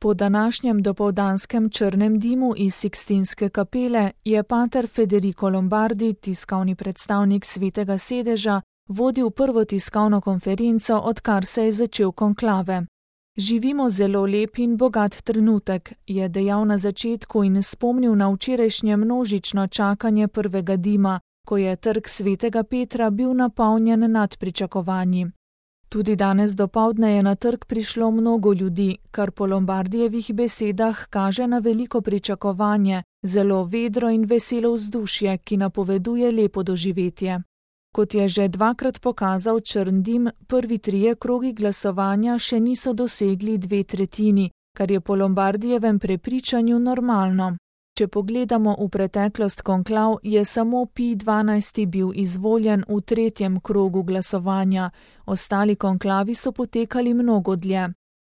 Po današnjem dopoldanskem črnem dimu iz Sikstinske kapele je pater Federico Lombardi, tiskovni predstavnik Svetega sedeža, vodil prvo tiskovno konferenco, odkar se je začel konklave. Živimo zelo lep in bogat trenutek, je dejal na začetku in spomnil na včerajšnje množično čakanje prvega dima, ko je trg Svetega Petra bil napolnjen nad pričakovanji. Tudi danes dopoldne je na trg prišlo mnogo ljudi, kar po Lombardijevih besedah kaže na veliko pričakovanje, zelo vedro in veselo vzdušje, ki napoveduje lepo doživetje. Kot je že dvakrat pokazal črn dim, prvi 3 krogi glasovanja še niso dosegli 2/3, kar je po Lombardijevem prepričanju normalno. Če pogledamo v preteklost konklav, je samo Pij XII bil izvoljen v 3. krogu glasovanja, ostali konklavi so potekali mnogo dlje.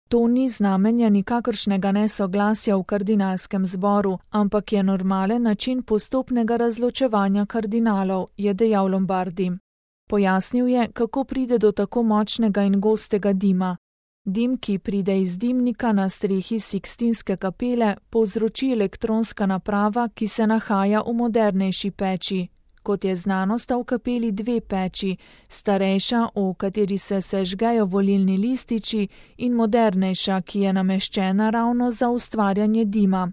To ni znamenje nikakršnega nesoglasja v kardinalskem zboru, ampak je normalen način postopnega razločevanja kardinalov, je dejal Lombardi. Pojasnil je, kako pride do tako močnega in gostega dima. Dim, ki pride iz dimnika na strehi Sikstinske kapele, povzroči elektronska naprava, ki se nahaja v modernejši peči. Kot je znano, sta v kapeli 2 peči, starejša, v kateri se sežgejo volilni lističi, in modernejša, ki je nameščena ravno za ustvarjanje dima.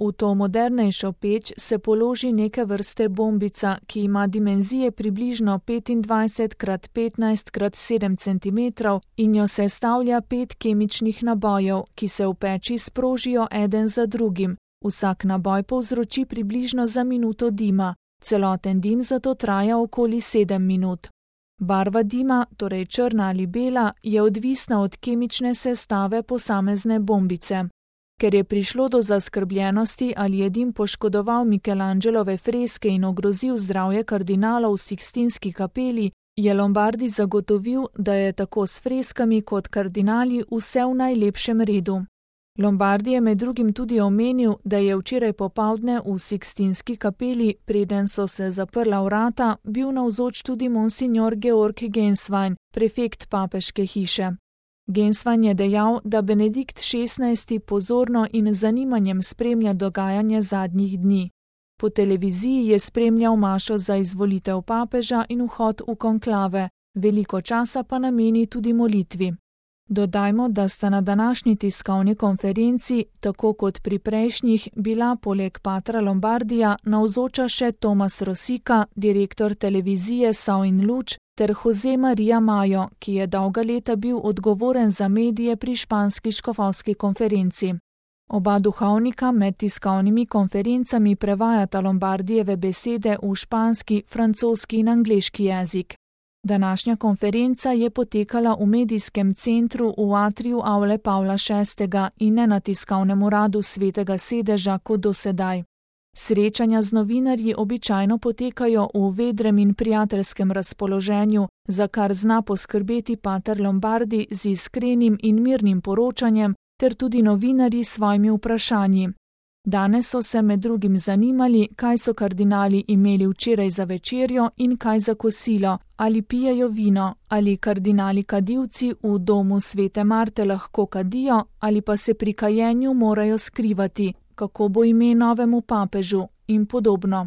V to modernejšo peč se položi neke vrste bombica, ki ima dimenzije približno 25x15x7 cm in jo sestavlja 5 kemičnih nabojev, ki se v peči sprožijo eden za drugim. Vsak naboj povzroči približno za minuto dima. Celoten dim zato traja okoli 7 minut. Barva dima, torej črna ali bela, je odvisna od kemične sestave posamezne bombice. Ker je prišlo do zaskrbljenosti, ali je dim poškodoval Michelangelove freske in ogrozil zdravje kardinalov v Sikstinski kapeli, je Lombardi zagotovil, da je tako s freskami kot kardinali vse v najlepšem redu. Lombardi je med drugim tudi omenil, da je včeraj popoldne v Sikstinski kapeli, preden so se zaprla vrata, bil navzoč tudi monsignor Georg Genswein, prefekt papeške hiše. Genswein je dejal, da Benedikt XVI pozorno in z zanimanjem spremlja dogajanje zadnjih dni. Po televiziji je spremljal mašo za izvolitev papeža in vhod v konklave, veliko časa pa nameni tudi molitvi. Dodajmo, da sta na današnji tiskovni konferenci, tako kot pri prejšnjih, bila poleg patra Lombardija navzoča še Tomas Rosika, direktor televizije Sol in Luč, ter Jose Maria Mayo, ki je dolga leta bil odgovoren za medije pri španski škofovski konferenci. Oba duhovnika med tiskovnimi konferencami prevajata Lombardijeve besede v španski, francoski in angleški jezik. Današnja konferenca je potekala v medijskem centru v atriju Avle Pavla VI in ne na tiskovnem uradu Svetega sedeža kot dosedaj. Srečanja z novinarji običajno potekajo v vedrem in prijateljskem razpoloženju, za kar zna poskrbeti pater Lombardi z iskrenim in mirnim poročanjem, ter tudi novinarji s svojimi vprašanji. Danes so se med drugim zanimali, kaj so kardinali imeli včeraj za večerjo in kaj za kosilo, ali pijejo vino, ali kardinali kadilci v domu Svete Marte lahko kadijo, ali pa se pri kajenju morajo skrivati, kako bo ime novemu papežu in podobno.